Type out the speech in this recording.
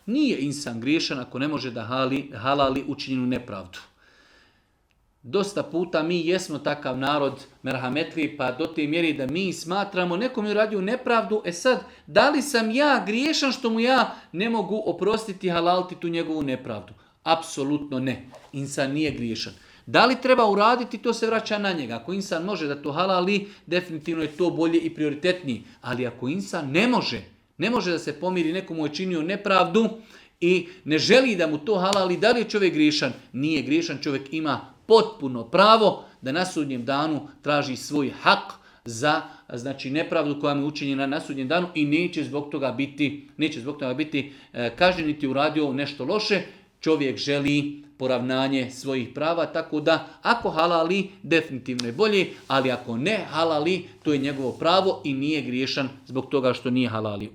Nije insan griješan ako ne može da halali učinjenu nepravdu. Dosta puta mi jesmo takav narod merhametli, pa do te mjeri da mi smatramo nekom je uradio nepravdu, sad, da li sam ja griješan što mu ja ne mogu oprostiti, halaliti tu njegovu nepravdu? Apsolutno ne. Insan nije griješan. Da li treba uraditi, to se vraća na njega. Ako insan može da to halali, definitivno je to bolje i prioritetnije. Ali ako insan ne može da se pomiri, nekomu je činio nepravdu i ne želi da mu to halali, da li je čovjek griješan? Nije griješan, čovjek ima potpuno pravo da na sudnjem danu traži svoj hak za nepravdu koja mu je učinjena na sudnjem danu i neće zbog toga biti kažnjen niti uradio nešto loše. Čovjek želi poravnanje svojih prava, tako da ako halali, definitivno je bolje, ali ako ne halali, to je njegovo pravo i nije griješan zbog toga što nije halalio.